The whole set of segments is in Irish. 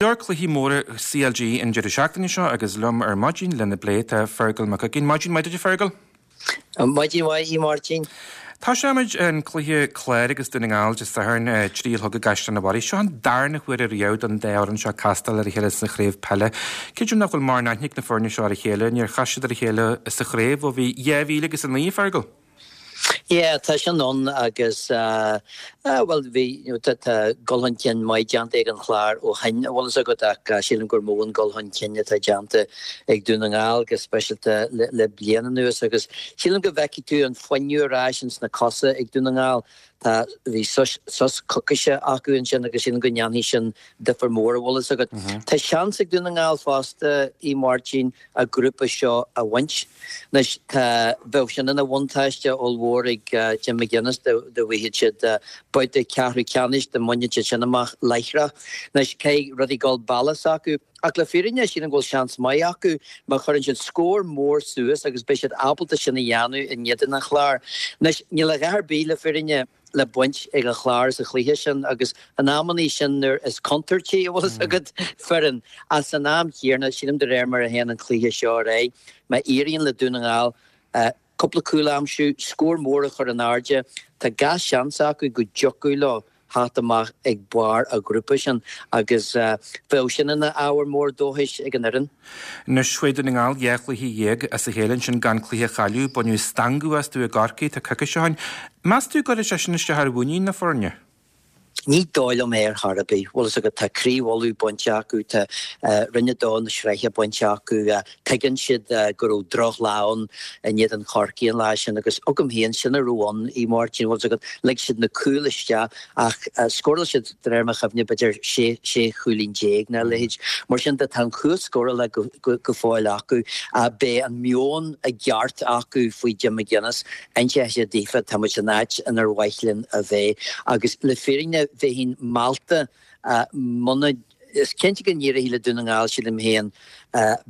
Leor cluichí móra CLG an deireadh seachtaine seo agus liom ar maidin lena bplé tá Fergal Mac Uiginn. Maidin mhaith duit a Fergal. Maidin mhaith a Mháirtín. Tosóimid an cluiche Clár agus Dún na nGall Dé Sathairn, 3 a chlog i gCaisleán an Bharraigh. Seo an darna huair ariamh don dá fhoireann seo castáil ar a chéile sa chraobh peile. Creidim nach bhfuil mórán aithne ag na foirne seo ar a chéile, níor chas siad ar a chéile sa chraobh ó bhí 2009 a Fergal. Yeah, tá sin ann agus eh bhuel bhí, you know, tá tá dul chun cinn maith déanta ag an Chlár ó shin, an bhfuil fhios agat, ach sílim gur mó an dul chun cinn atá déanta ag Dún na nGall go speisialta le le bliain anuas agus sílim go bhfeicfidh tú an fuinneamh ar ais ins na cosa ag Dún na nGall. Tá, bhí sos sos coicíse acu ansin agus sílim go ndéanfaidh sin difear mór, an bhfuil fhios agat. Tá seans ag Dún na nGall fosta, a Mháirtín, a grúpa seo a bhaint. Anois, tá, bheadh sin ina bhuntáiste ollmhór ag Jim McGuinness dá bhfaigheadh siad babhta ceathrú ceannais, dá mbainfeadh siad sin amach láithreach. Anois, caithfidh rudaí dul bealach s'acu. Ach le fírinne, sílim go bhfuil seans maith acu má chuireann siad scór mór suas agus beidh siad ábalta sin a dhéanamh in éadan an Chláir. Anois, níl a dhath ar bith le fírinne le baint ag an Chlár sa chluiche sin agus in amannaí sin nuair is contúirtí, an bhfuil fhios agat, foireann. Ach san am chéanna, sílim de réir mar a théann an cluiche seo ar aghaidh, má éiríonn le Dún na nGall cúpla cúl a aimsiú, scór mór a chur in airde, tá gach seans acu go dtiocfadh leo theacht amach ag barr a ghrúpa sin agus bheadh sin ina ábhar mór dóchais ag an fhoireann. Anois, chuaigh Dún na nGall 12 chluiche as a chéile ansin gan cluiche a chailleadh, baineadh stangadh astu i gCorcaigh, tá coicís ó shin. Meas tú go gcuirfidh sé sin isteach ar mhuinín na foirne? Ní dóigh liom é ar chor ar bith. Bhfuil fhios agat, tá craobh Uladh bainte acu, tá Roinn 2 na sraithe bainte acu, Tuigeann siad go raibh drochlá ann in éadan Chorcaí an lá sin agus agam féin, sin a raibh ann, a Mháirtín, bhfuil fhios agat, lig siad na cúil isteach ach scóráil siad, de réir mo chuimhne, b'fhéidir 16 chúilín nó a leithéid. Mar sin de, tá an chumhacht scórála go fóill acu. Beidh an meon i gceart acu faoi Jim McGuinness. Inseoidh siad daofa, tá muid san áit inar mhaith linn a bheith. Agus le fírinne, bheinn meallta muna. Is cinnte go n-éireoidh le Dún na nGall, sílim féin,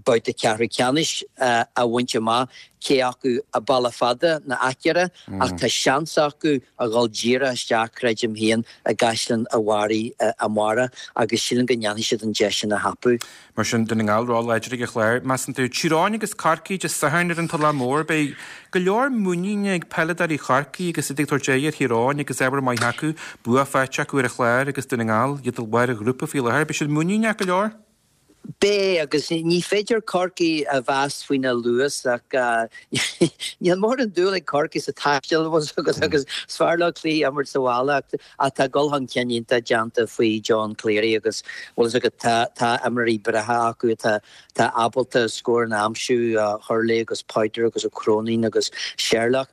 babhta ceathrú ceannais a bhaint amach, cé acu an bealach fada nó an gearr, ach tá seans acu a dhul díreach isteach, creidim féin, i gCaisleán a' Bharraigh amárach agus sílim go ndéanfaidh siad an deis sin a thapú. Mar sin, Dún na nGall ró-láidir ag an Chlár, measann tú. Tír Eoghain agus Corcaigh Dé Sathairn ar an Tulach Mhór. Beidh go leor muiníne ag peileadóirí Chorcaí agus iad ag tabhairt aghaidh ar Thír Eoghain agus ábhar maith acu, bua faighte acu ar an Chlár agus Dún na nGall, iad i lár an ghrúpa faoi láthair. Beidh siad muiníneach go leor. Beidh, agus ní féidir Corcaigh a mheas faoina luas ach níl mórán dúil ag Corcaigh sa taisteal agus is fearr leo cluichí a imirt sa bhaile ach Ach tá dul chun cinn iontach déanta faoi John Cleary agus, bhfuil fhios agat, tá, tá imreoirí breátha acu atá, atá ábalta scóranna a aimsiú, Hurley agus Powter agus Ó Cróinín agus Sherlock.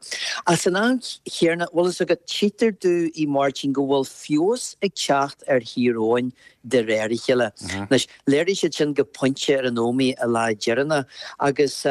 Ach san am chéanna, bhfuil fhios agat, tchítear domh, a Mháirtín, go bhfuil feabhas ag teacht ar Thír Eoghain de réir a chéile. Anois, léirigh siad sin go pointe ar an Ómaigh an lá deireanach agus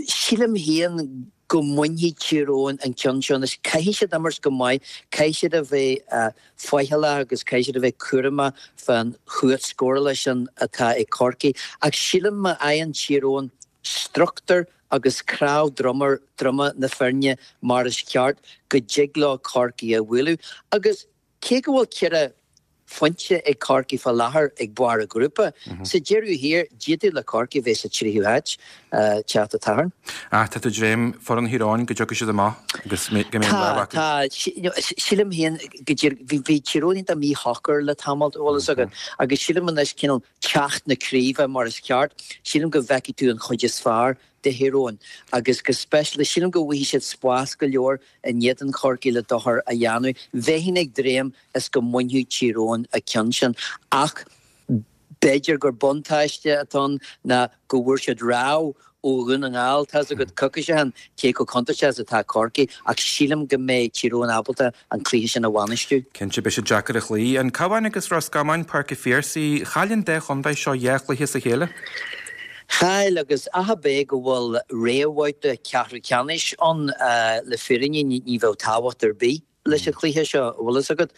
sílim féin go mbainfidh Tír Eoghain an ceann seo. Anois, caithfidh siad imirt go maith, caithfidh siad a bheith faichilleach agus caithfidh siad a bheith cúramach fán chumhacht scórála sin atá ag Corcaigh. Ach sílim má fhaigheann Tír Eoghain struchtúr agus cnámh droma na foirne mar is ceart, go dtig leo Corcaigh a bhualadh. Agus Cé go bhfuil 4 phointe ag Corcaigh fá láthair ag barr a ghrúpa, sa deireadh thiar, d'fhéadfadh le Corcaigh bheith sa tríú háit teacht an tSathairn. Ach tá tú ag dréim foireann Thír Eoghain go dtiocfaidh siad amach agus go mbeidh an lámh acu. Tá, tá. Sílim féin go dtír, bhí Tír Eoghain iontach míshocair le tamall, an bhfuil fhios agat, agus sílim anois cineál teacht na craoibhe mar is ceart, sílim go bhfeicfidh tú an chuid is fearr de Thír Eoghain agus go speisialta, sílim go bhfaighidh siad spás go leor in éadan Chorcaí le dochar a dhéanamh. Bheinn ag dréim is go mbainfeadh Tír Eoghain an ceann sin ach b'fhéidir gur buntáiste atá ann ná go bhfuair siad rabhadh ó Dhún na nGall, tá's agat, coicís ó shin, cé chomh contúirteach is atá Corcaigh ach sílim go mbeidh Tír Eoghain ábalta an cluiche sin a bhainistiú. Cinnte, beidh siad deacair a chloí. An Cabhán agus Ros Comáin, Páirc an Phiarsaigh, chaill an dá chontae seo dhá chluiche as a chéile. Chaill, agus ach ab é go bhfuil réamhbhabhta ceathrú ceannais ann, le fírinne ní bheadh tábhacht ar bith leis an chluiche seo, an bhfuil fhios agat.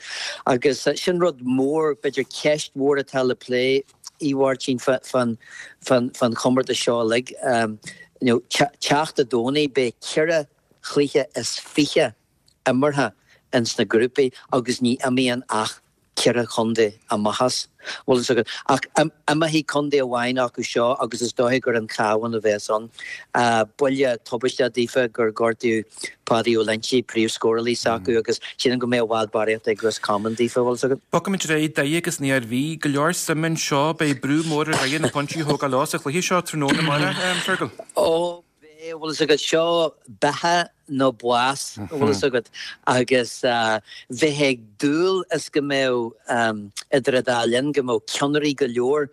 Agus sin rud mór, b'fhéidir ceist mhór atá le plé, a Mháirtín, fán chomórtas seo uilig. You know, teacht an Domhnaigh, beidh ceithre chluiche is fiche imeartha ins na grúpaí agus ní imíonn ach. cheithre chontae amach as, bhfuil fhios agat. Ach imeoidh contae amháin acu seo agus is dóiche gur an Cabhán a bheas ann. Buille tubaisteach daofa gur gortaíodh Páidí Ó Loinsigh, príomhscórálaí s'acu agus sílim go mbeidh i bhfad barraíocht ag Ros Comáin daofa, bhfuil fhios agat. Bogfaimid ar aghaidh, Doire agus an Iarmhí, go leor suime anseo, beidh brú mór ar Dhoire na pointí a thógáil leo sa chluiche seo tráthnóna amárach, Fergal. Ó, beidh, bhfuil fhios agat, seo beatha nó bás, bhfuil fhios agat, agus bheifeá ag dúil is go mbeadh, idir an dá linn, go mbeadh ceannairí go leor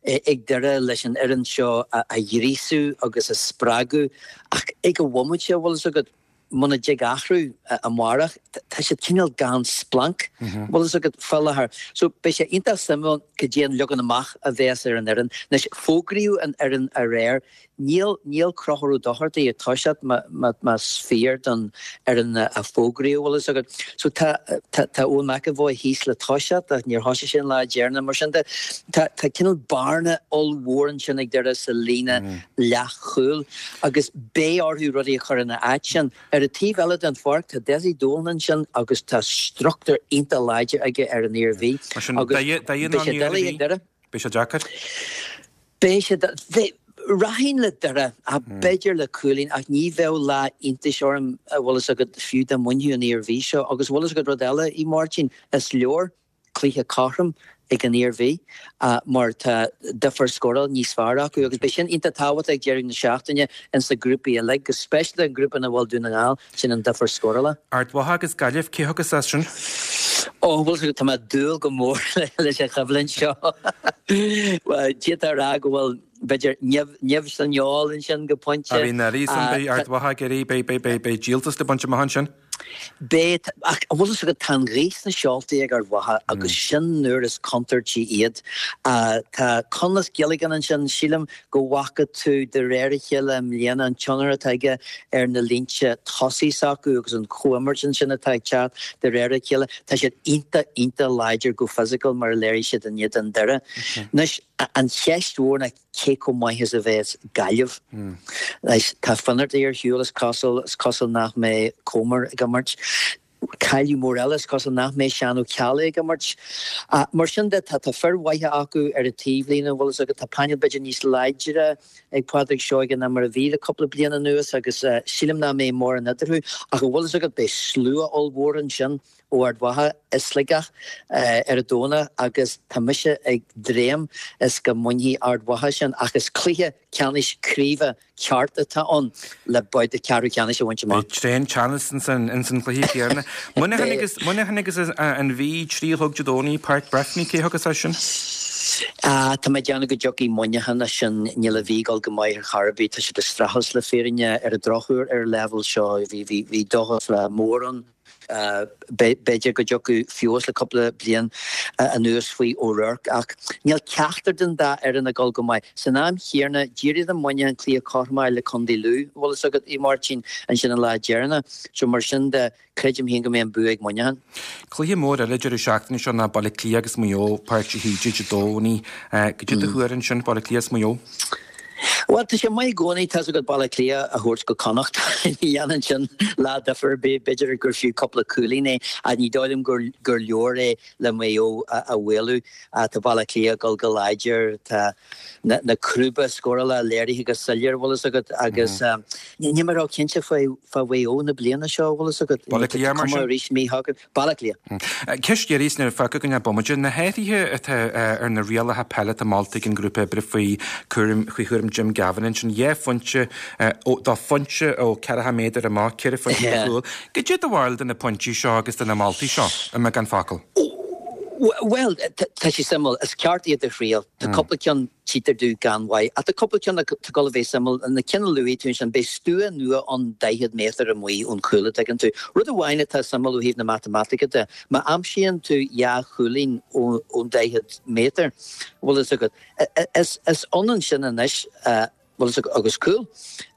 ag Doire leis an fhoireann seo a ghríosú agus a spreagadh ach ag an bhomaite, bhfuil fhios agat, muna dtig athrú amárach, tá siad cineál gan splanc, bhfuil fhios agat, fá láthair. So beidh sé iontach suimiúil cad é an leagan amach a bheas ar an fhoireann. Anois, fógraíodh an fhoireann aréir. Níl, níl Conchúr Ó Dochartaigh ag toiseacht más fíor don fhoireann a fógraíodh, bhfuil fhios agat. So tá, tá, tá Eoin McEvoy thíos le toiseacht ach níor thosaigh sé an lá deireanach. Mar sin de, tá, tá cineál bearna ollmhór ansin ag Doire sa líne leathchúil agus beidh orthu rudaí a chur ina áit sin. Ar an taobh eile den pháirc, tá Dessie Dolan ansin agus tá struchtúr iontach láidir aige ar an Iarmhí Mar sin, agus Doire, Doire beidh ná sé an doiligh Iarmhí, ag Doire. beidh sé deacair. Beidh sé doiligh. Rachainn le Doire, ach b'fhéidir le cúilín, ach ní bheadh lá iontais orm, a bhfuil fhios agat, fiú dá mbainfeadh an Iarmhí seo. Agus bhfuil fhios agat rud eile, a Mháirtín, is leor cluiche cothrom ag an Iarmhí mar tá difear scórála níos fearr acu agus beidh sin iontach tábhachtach ag deireadh na seachtaine ins na grúpaí uilig, go speisialta an grúpa ina bhfuil Dún na nGall. Sin an difear scórála. Ard Mhacha agus Gaillimh, cé thiocfas as sin? Ó, bhfuil fhios agat, tá mé ag dúil go mór leis an choimhlint seo. D'fhéadfá a rá go bhfuil, b'fhéidir, nimh san fheoil ansin go pointe. Bhí an oiread san, beidh Ard Mhacha ag iarraidh, beidh díoltas le baint amach ansin. Beidh, ach bhfuil fhios agat, tá an ghaoth sna seoltaí ag Ard Mhacha agus sin nuair is contúirtí iad. Tá Conleith Gilligan ansin, sílim go bhfaca tú de réir a chéile i mbliana an tionchar atá aige ar na línte tosaigh s'acu agus an chomhimirt ansin atá ag teacht de réir a chéile. Tá siad iontach, iontach láidir go fisiciúil mar a léirigh siad in éadan Doire. Anois, an cheist mhór ná cé chomh maith is a bheas Gaillimh. Anois, tá Finnerty ar shiúl, is cosúil, is cosúil nach mbeidh Comer ag imirt. Cailleadh mór eile, is cosúil nach mbeidh Seán Ó Ceallaigh ag imirt. Mar sin de, tá fir mhaithe acu ar an taobhlíne, bhfuil fhios agat. Tá painéal b'fhéidir níos láidre ag Pádraig Seoige ná mar a bhí le cúpla bliain anuas agus sílim nach mbeidh mórán eadarthu. Ach an bhfuil fhios agat, beidh slua ollmhór ansin ó Ard Mhacha i Sligeach ar an Domhnach agus tá mise ag dréim is go mbainfidh Ard Mhacha sin ach is cluiche ceannais craoibhe ceart atá ann le babhta ceathrú ceannais a bhaint amach. Beidh tréan teannas ins an chluiche céanna. Muineachán agus Muineachán agus an Mhí, 3 a chlog Dé Domhnaigh, Páirc Breffni, cé thiocfas as sin? Tá mé ag déanamh go dtiocfaidh Muineachán as sin. Níl an Mhí ag dul go maith ar chor ar bith. Tá siad ag streachailt le fírinne ar an drochuair ar an leibhéal seo. Bhí dóchas mór ann. B'fhéidir go dtiocfadh feabhas le cúpla bliain anuas faoi O'Rourke ach níl ceachtar den dá fhoireann ag dul go maith. San am chéanna, d'éirigh le Muineachán cluiche cothrom a fháil le Contae Lú, bhfuil fhios agat, a Mháirtín, ansin an lá deireanach. So mar sin de, creidim féin go mbeidh an bua ag Muineachán. Cluiche mór eile deireadh seachtaine seo ná Baile Átha Cliath agus Maigh Eo, Páirc de hÍde Dé Domhnaigh. Cad é do thuar ansin, Baile Átha Cliath is Maigh Eo? Bhuel, tá sé maith i gcónaí, tá's agat, Baile Átha Cliath a thabhairt go Connacht. Ní dhéanann sin lá difear ar bith. B'fhéidir gur fiú cúpla cúilín é, ach ní dóigh liom gur leor é le Maigh Eo a mhaolú. Tá Baile Átha Cliath ag dul go láidir, tá na crúba scórála léirithe go soiléir, bhfuil fhios agat, agus níl mé ró-chinnte fá Mhaigh Eo na bliana seo, bhfuil fhios agat. Baile Átha Cliath mar sin? Cuma arís míshocair. Baile Átha Cliath. Ceist dheiridh is fágfaidh againn é bomaite. Na hathruithe atá ar na rialacha peile atá molta ag an ngrúpa oibre faoi chúram faoi chúram Jim Gavin ansin, 2 phointe do phointe ó 40 méadar amach, 4 phointe do chúl. Cad é do bharúil de na pointí seo agus de na moltaí seo, i mbeagán focal? Bhuel, tá sé suimiúil. Is ceart iad a thriail. Tá cúpla ceann. Tchítear domh gan mhaith. Ach tá cúpla ceann atá ag dul a bheith suimiúil. Na cinn a luaigh tú ansin, beidh stua nua ann 40 méadar amuigh ón chúl, a dtuigeann tú. Rud amháin atá suimiúil ó thaobh na matamaitice de, má aimsíonn tú dhá chúilín ón 40 méadar, bhfuil fhios agat, is ionann sin anois, bhfuil fhios agat, agus cúl.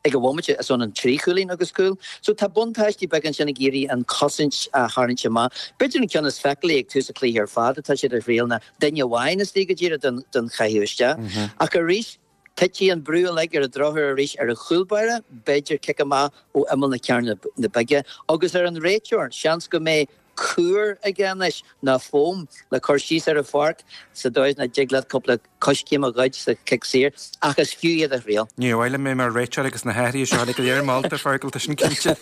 Ag an bhomaite, is ionann trí chúilín agus cúl. So tá buntáistí beaga ansin ag iarraidh an chosaint a tharraingt amach. B'fhéidir an ceann is feiceálaí ag tús an chluiche ar fad atá siad a thriail ná duine amháin istigh go díreach don chaitheamh isteach. Ach arís, titfidh an brú uilig ar an drochuair arís ar an chúl báire, b'fhéidir cic amach ó imeall na cearnóige bige, agus ar an réiteoir. Seans go mbeidh. cúr aige anois ná foam le cur síos ar an pháirc sa dóigh is nach dtig leat cúpla coiscéim a ghoid sa chic saor, ach is fiú iad a thriail. Níor mhaith liom bheith mar réiteoir agus na hathruithe seo uilig go léir molta, Fergal, tá sin cinnte.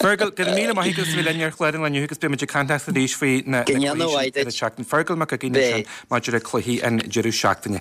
Fergal, go raibh míle maith agat as a bheith linn ar chlár an lae inniu agus beidh muid ag caint leat arís faoi na cluichí sin ar an tseachtain. Fergal Mac Uiginn ansin maidir le cluichí an deireadh seachtaine.